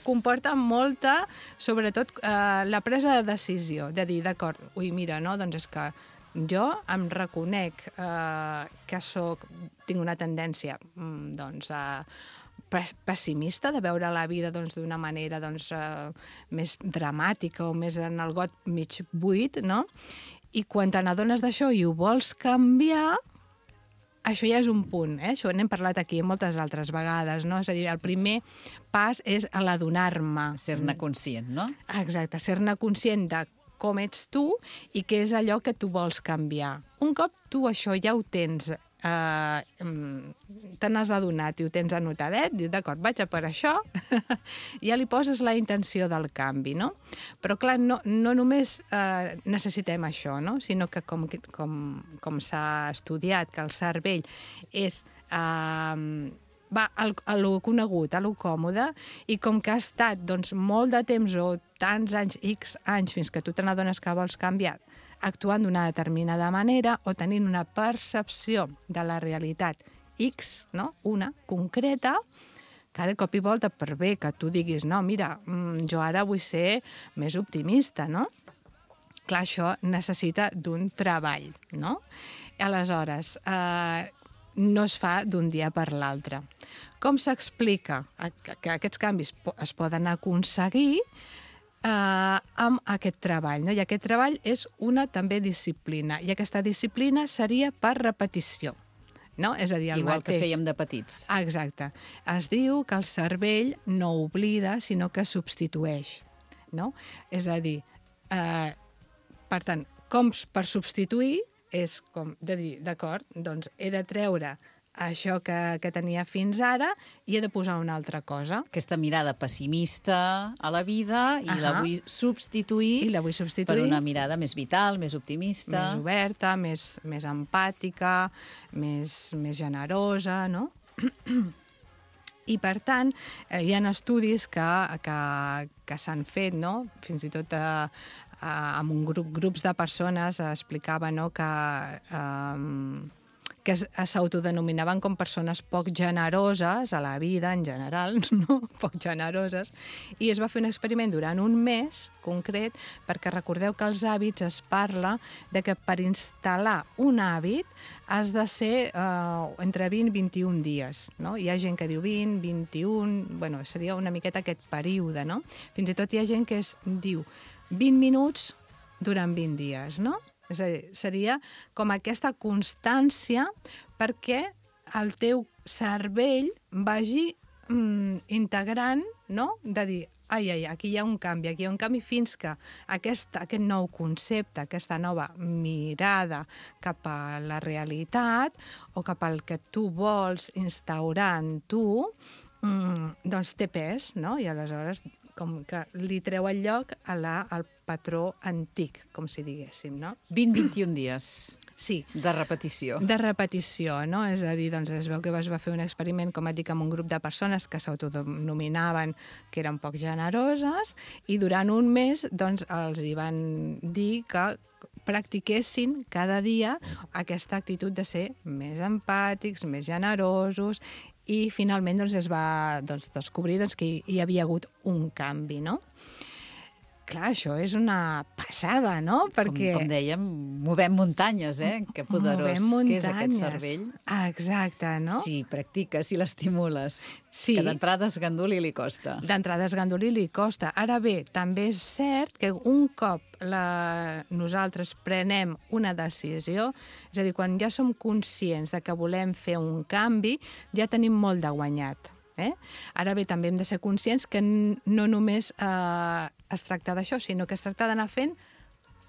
K: Comporta molta, sobretot, la presa de decisió, de dir, d'acord, ui, mira, no, doncs és que jo em reconec que tinc una tendència doncs, pessimista, de veure la vida d'una manera més dramàtica o més en el got mig buit, no? I quan te n'adones d'això i ho vols canviar, això ja és un punt, això n'hem parlat aquí moltes altres vegades, no? És a dir, el primer pas és l'adonar-me.
D: Ser-ne conscient, no?
K: Exacte, ser-ne conscient de com ets tu i què és allò que tu vols canviar. Un cop tu això ja ho tens, te n'has adonat i ho tens anotadet, dius, d'acord, vaig a per això, ja li poses la intenció del canvi, no? Però, clar, no només necessitem això, no? Sinó que, com s'ha estudiat, que el cervell és... va a lo conegut, a lo còmode, i com que ha estat doncs, molt de temps o tants anys, X anys, fins que tu te n'adones que vols canviar, actuant d'una determinada manera o tenint una percepció de la realitat X, no? Una concreta, cada cop i volta, per bé que tu diguis, no, mira, jo ara vull ser més optimista, no? Clar, això necessita d'un treball, no? Aleshores, no es fa d'un dia per l'altre. Com s'explica que aquests canvis es poden aconseguir amb aquest treball, no? I aquest treball és una també disciplina, i aquesta disciplina seria per repetició, no? És a dir, el
D: igual
K: mateix.
D: Que fèiem de petits.
K: Exacte. Es diu que el cervell no oblida, sinó que substitueix, no? És a dir, per tant, com per substituir és com de dir, d'acord, doncs he de treure això que tenia fins ara i he de posar una altra cosa.
D: Aquesta mirada pessimista a la vida i la vull substituir per una mirada més vital, més optimista.
K: Més oberta, més empàtica, més generosa, no? I, per tant, hi ha estudis que s'han fet, no? Fins i tot amb grups de persones explicava, no, que que s'autodenominaven com persones poc generoses a la vida en general, no? Poc generoses, i es va fer un experiment durant un mes concret, perquè recordeu que els hàbits es parla de que per instal·lar un hàbit has de ser entre 20 i 21 dies, no? Hi ha gent que diu 20, 21, bueno, seria una miqueta aquest període, no? Fins i tot hi ha gent que diu 20 minuts durant 20 dies, no? És a dir, seria com aquesta constància perquè el teu cervell vagi integrant, no? De dir, aquí hi ha un canvi, fins que aquest nou concepte, aquesta nova mirada cap a la realitat o cap al que tu vols instaurar en tu, doncs té pes, no? I aleshores com que li treu el lloc al patró antic, com si diguéssim, no?
D: 20-21 dies.
K: Sí.
D: De repetició.
K: De repetició, no? És a dir, doncs es veu que es va fer un experiment, com et dic, amb un grup de persones que s'autodenominaven que eren poc generoses i durant un mes doncs els hi van dir que practiquessin cada dia aquesta actitud de ser més empàtics, més generosos i finalment doncs, es va descobrir que hi havia hagut un canvi, no? Clar, això és una passada, no? Perquè...
D: Com dèiem, movem muntanyes, Que poderós que és aquest cervell.
K: Exacte, no?
D: Si practiques, si l'estimules.
K: Sí.
D: Que d'entrada esganduli li costa.
K: D'entrada esganduli li costa. Ara bé, també és cert que un cop nosaltres prenem una decisió, és a dir, quan ja som conscients de que volem fer un canvi, ja tenim molt de guanyat. Ara bé, també hem de ser conscients que no només es tracta d'això, sinó que es tracta d'anar fent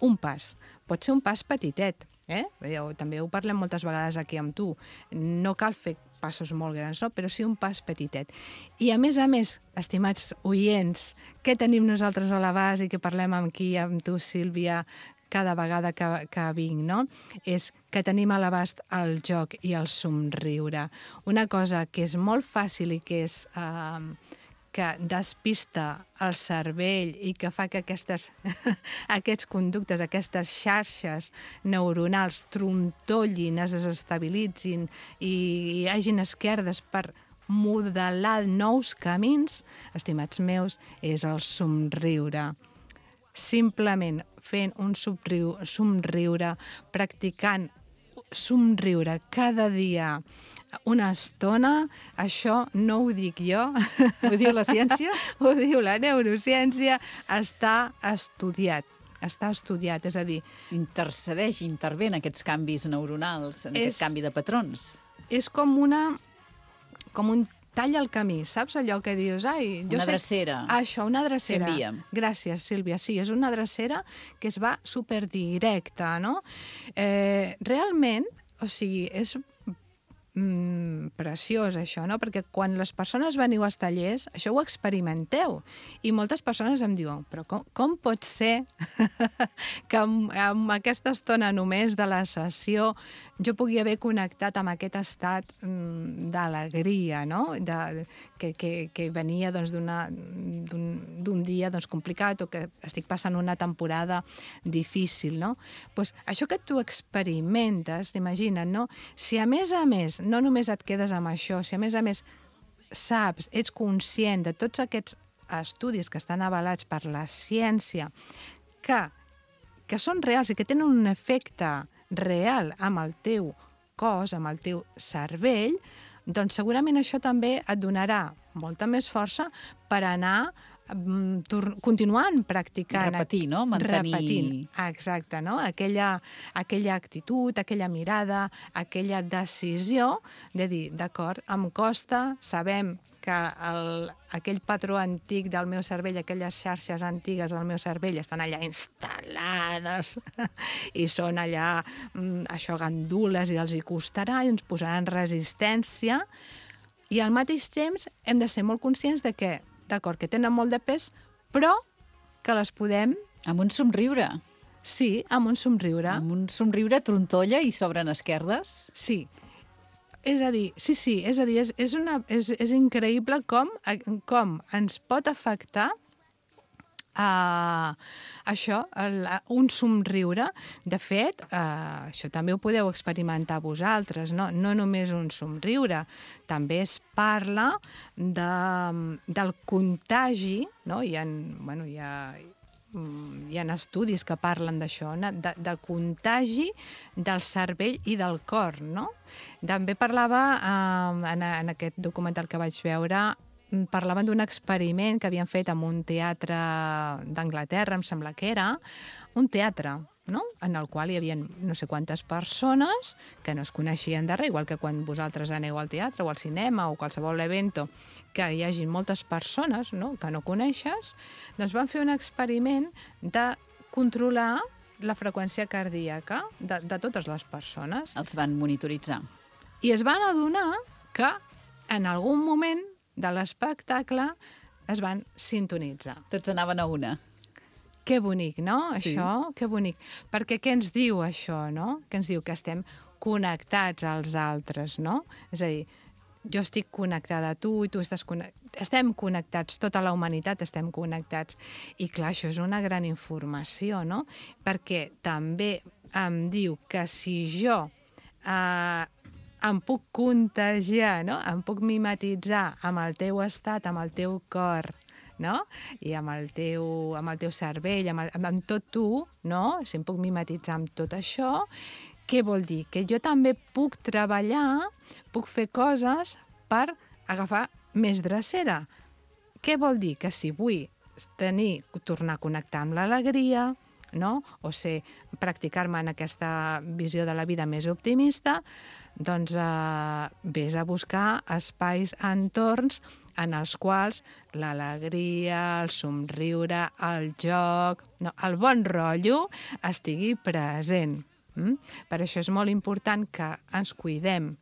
K: un pas. Pot ser un pas petitet, també ho parlem moltes vegades aquí amb tu. No cal fer passos molt grans, no? Però sí un pas petitet. I a més, estimats oients, què tenim nosaltres a l'abast i que parlem aquí amb tu, Sílvia, cada vegada que vinc, no? És que tenim a l'abast el joc i el somriure. Una cosa que és molt fàcil i que és que despista el cervell i que fa que aquests conductes, aquestes xarxes neuronals trontollin, es desestabilitzin i hi hagin esquerdes per modelar nous camins, estimats meus, és el somriure. Simplement fent un somriure, practicant somriure cada dia una estona, això no ho dic jo.
D: Ho diu la ciència?
K: Ho diu la neurociència, està estudiat. Està estudiat, és a dir...
D: Intervé en aquests canvis neuronals, en aquest canvi de patrons.
K: És com un tall al camí, saps allò que dius?
D: Una drecera.
K: Això, una drecera.
D: Fem via.
K: Gràcies, Sílvia. Sí, és una drecera que es va superdirecta, no? Realment, o sigui, és preciós això, no? Perquè quan les persones veniu als tallers, això ho experimenteu. I moltes persones em diuen, però com pot ser que amb aquesta estona només de la sessió jo pugui haver connectat amb aquest estat d'alegria, no? Que venia d'un dia complicat o que estic passant una temporada difícil, no? Doncs això que tu experimentes, t'imagina't, no? Si a més no només et quedes amb això, si a més saps, ets conscient de tots aquests estudis que estan avalats per la ciència, que són reals i que tenen un efecte real amb el teu cos, amb el teu cervell, doncs segurament això també et donarà molta més força per anar continuant practicant.
D: Repetir, no? Mantenir...
K: Repetint, exacte, no? Aquella actitud, aquella mirada, aquella decisió de dir, d'acord, em costa, sabem que aquell patró antic del meu cervell, aquelles xarxes antigues del meu cervell estan allà instal·lades i són allà, això, gandules, i els hi costarà i ens posaran resistència. I al mateix temps hem de ser molt conscients de que, d'acord, que tenen molt de pes, però que les podem...
D: Amb un somriure.
K: Sí, amb un somriure.
D: Amb un somriure trontolla i s'obren esquerdes.
K: Sí. És a dir, és increïble com ens pot afectar això, un somriure, de fet, això també ho podeu experimentar vosaltres, no només un somriure, també es parla del contagi, no? Hi ha estudis que parlen d'això, del contagi del cervell i del cor, no? També parlava, en aquest documental que vaig veure, parlaven d'un experiment que havien fet en un teatre d'Anglaterra, em sembla que era, un teatre, no? En el qual hi havia no sé quantes persones que no es coneixien de res, igual que quan vosaltres aneu al teatre o al cinema o qualsevol evento, que hi hagi moltes persones, no?, que no coneixes, doncs van fer un experiment de controlar la freqüència cardíaca de totes les persones.
D: Els van monitoritzar.
K: I es van adonar que en algun moment de l'espectacle es van sintonitzar.
D: Tots anaven a una.
K: Que bonic, no?
D: Sí.
K: Això, que bonic. Perquè què ens diu això, no? Què ens diu? Que estem connectats als altres, no? És a dir, jo estic connectada a tu i tu estàs connectat. Estem connectats, tota la humanitat estem connectats. I clar, això és una gran informació, no? Perquè també em diu que si jo em puc contagiar, no? Em puc mimetitzar amb el teu estat, amb el teu cor, no? I amb el teu cervell, amb tot tu, no? Si em puc mimetitzar amb tot això, què vol dir? Que jo també puc treballar, puc fer coses per agafar més drecera. Què vol dir? Que si vull tornar a connectar amb l'alegria, no? O practicar-me en aquesta visió de la vida més optimista, doncs vés a buscar espais, entorns en els quals l'alegria, el somriure, el joc, no, el bon rotllo estigui present. Per això és molt important que ens cuidem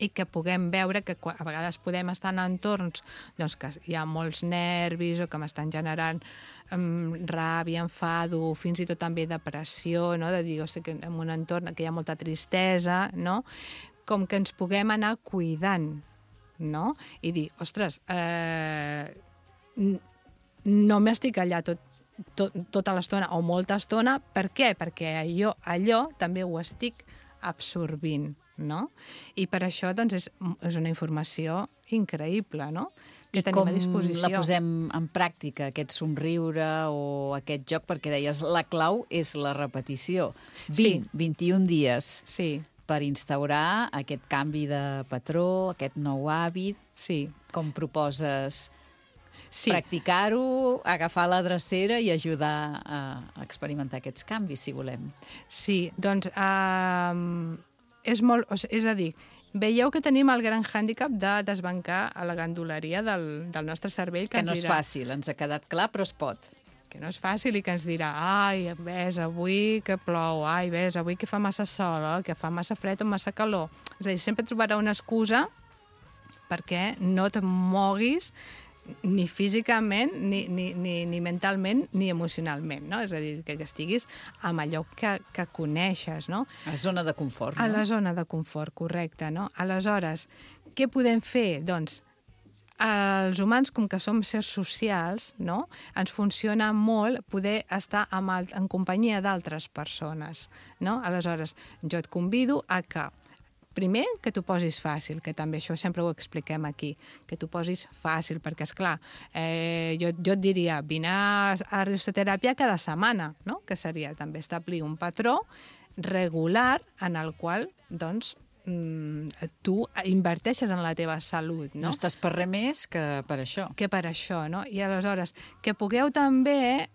K: i que puguem veure que a vegades podem estar en entorns doncs, que hi ha molts nervis o que m'estan generant ràbia, enfado, fins i tot també depressió, no? De dir, que en un entorn que hi ha molta tristesa, no? Com que ens puguem anar cuidant, no? I dir, ostres, no m'estic allà tota l'estona o molta estona. Per què? Perquè allò també ho estic absorbint, no? I per això doncs, és una informació increïble, no? Que tenim a disposició.
D: I com la posem en pràctica, aquest somriure o aquest joc? Perquè deies, la clau és la repetició. 21 dies per instaurar aquest canvi de patró, aquest nou hàbit. Com proposes practicar-ho, agafar la drecera i ajudar a experimentar aquests canvis, si volem?
K: Sí, doncs és a dir, veieu que tenim el gran hàndicap de desbancar a la ganduleria del nostre cervell.
D: Que no és fàcil, ens ha quedat clar, però es pot.
K: Que no és fàcil i que ens dirà, ai, ves, avui que plou, ai, ves, avui que fa massa sol, que fa massa fred o massa calor. És a dir, sempre trobarà una excusa perquè no et moguis ni físicament, ni mentalment, ni emocionalment, no? És a dir, que estiguis amb allò que coneixes, no?
D: A la zona de confort, no?
K: A la zona de confort, correcte, no? Aleshores, què podem fer? Doncs, els humans, com que som sers socials, no? Ens funciona molt poder estar en companyia d'altres persones, no? Aleshores, jo et convido a que primer, que t'ho posis fàcil, que també això sempre ho expliquem aquí, que t'ho posis fàcil, perquè, esclar, jo et diria, vine a risoteràpia cada setmana, no? Que seria també establir un patró regular en el qual, doncs, tu inverteixes en la teva salut, no?
D: No estàs per res més que per això.
K: Que per això, no? I aleshores, que pugueu també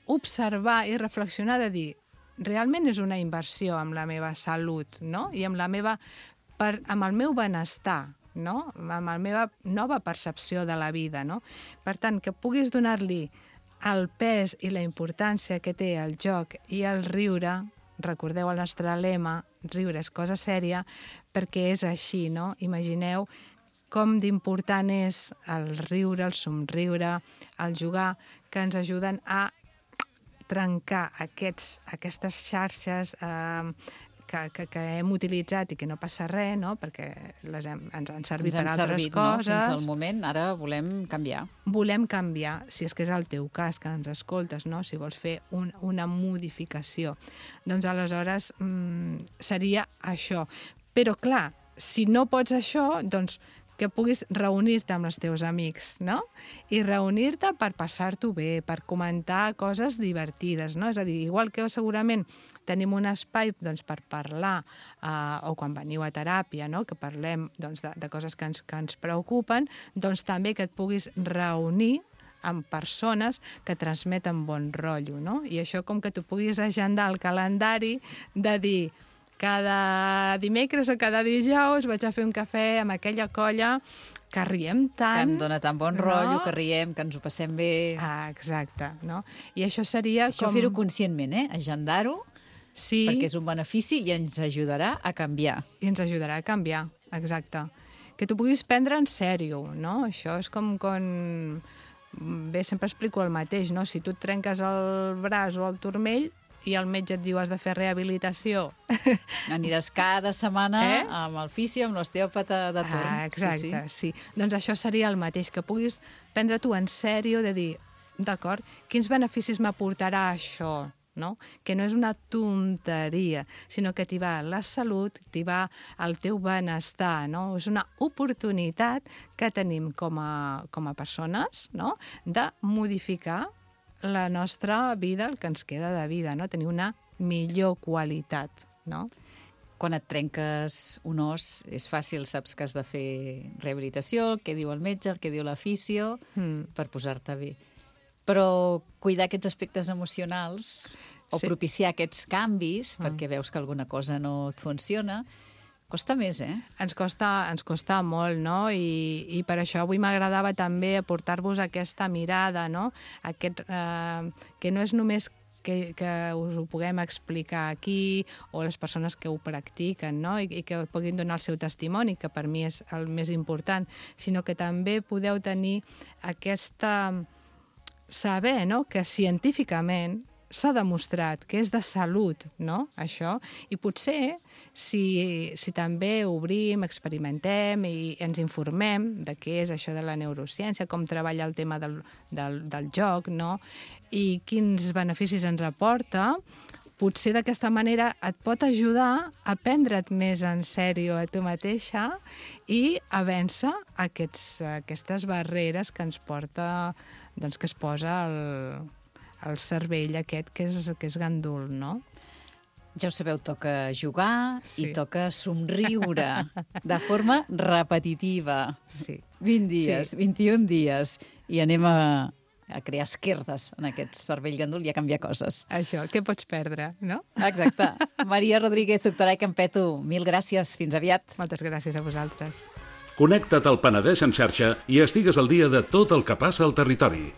K: observar i reflexionar de dir, realment és una inversió amb la meva salut, no? I amb el meu benestar, no? Amb la meva nova percepció de la vida, no? Per tant, que puguis donar-li el pes i la importància que té el joc i el riure, recordeu el nostre lema, riure és cosa sèria, perquè és així, no? Imagineu com d'important és el riure, el somriure, el jugar, que ens ajuden a trencar aquestes xarxes que que hem utilitzat i que no passa res, no? Perquè ens han servit per altres
D: servit,
K: coses.
D: No? Fins al moment, ara volem canviar.
K: Volem canviar, si és que és el teu cas, que ens escoltes, no? Si vols fer una modificació. Doncs aleshores seria això. Però clar, si no pots això, doncs que puguis reunir-te amb els teus amics, no? I reunir-te per passar-t'ho bé, per comentar coses divertides, no? És a dir, igual que segurament tenim un espai doncs, per parlar, o quan veniu a teràpia, no? Que parlem doncs, de coses que ens preocupen, doncs també que et puguis reunir amb persones que transmeten bon rotllo, no? I això com que tu puguis agendar el calendari de dir cada dimecres o cada dijous vaig a fer un cafè amb aquella colla que riem tant...
D: Que em dona tan bon rotllo, que riem, que ens ho passem bé...
K: Exacte, no? I això seria
D: com... Això fer-ho conscientment, Agendar-ho,
K: sí, perquè
D: és un benefici i ens ajudarà a canviar.
K: I ens ajudarà a canviar, exacte. Que tu puguis prendre en sèrio, no? Això és com quan... Bé, sempre explico el mateix, no? Si tu et trenques el braç o el turmell, i el metge et diu has de fer rehabilitació.
D: Aniràs cada setmana amb el fisio, amb l'osteòpata de torn.
K: Exacte, sí. Doncs això seria el mateix, que puguis prendre tu en sèrio de dir, d'acord, quins beneficis m'aportarà això, no? Que no és una tonteria, sinó que t'hi va la salut, t'hi va el teu benestar, no? És una oportunitat que tenim com a persones, no? De modificar la nostra vida, el que ens queda de vida, no? Tenir una millor qualitat, no?
D: Quan et trenques un os, és fàcil, saps que has de fer rehabilitació, el que diu el metge, el que diu la fisio, per posar-te bé. Però cuidar aquests aspectes emocionals o propiciar aquests canvis, perquè veus que alguna cosa no et funciona, costa més,
K: Ens costa molt, no? I per això avui m'agradava també aportar-vos aquesta mirada, no? Que no és només que us ho puguem explicar aquí o les persones que ho practiquen, no? I que puguin donar el seu testimoni, que per mi és el més important, sinó que també podeu tenir aquesta... saber, no?, que científicament s'ha demostrat que és de salut, no?, això, i potser si també obrim, experimentem i ens informem de què és això de la neurociència, com treballa el tema del joc, no?, i quins beneficis ens aporta, potser d'aquesta manera et pot ajudar a prendre't més en sèrio a tu mateixa i a vèncer aquestes barreres que ens porta, doncs, que es posa el cervell aquest que és gandul, no?
D: Ja ho sabeu, toca jugar i toca somriure de forma repetitiva.
K: Sí.
D: 20 dies, 21 dies, i anem a crear esquerdes en aquest cervell gandul i a canviar coses.
K: Això, què pots perdre, no?
D: Exacte. Maria Rodríguez, doctora i Campeto, mil gràcies. Fins aviat.
K: Moltes gràcies a vosaltres.
B: Connecta't al Penedès en xarxa i estigues al dia de tot el que passa al territori.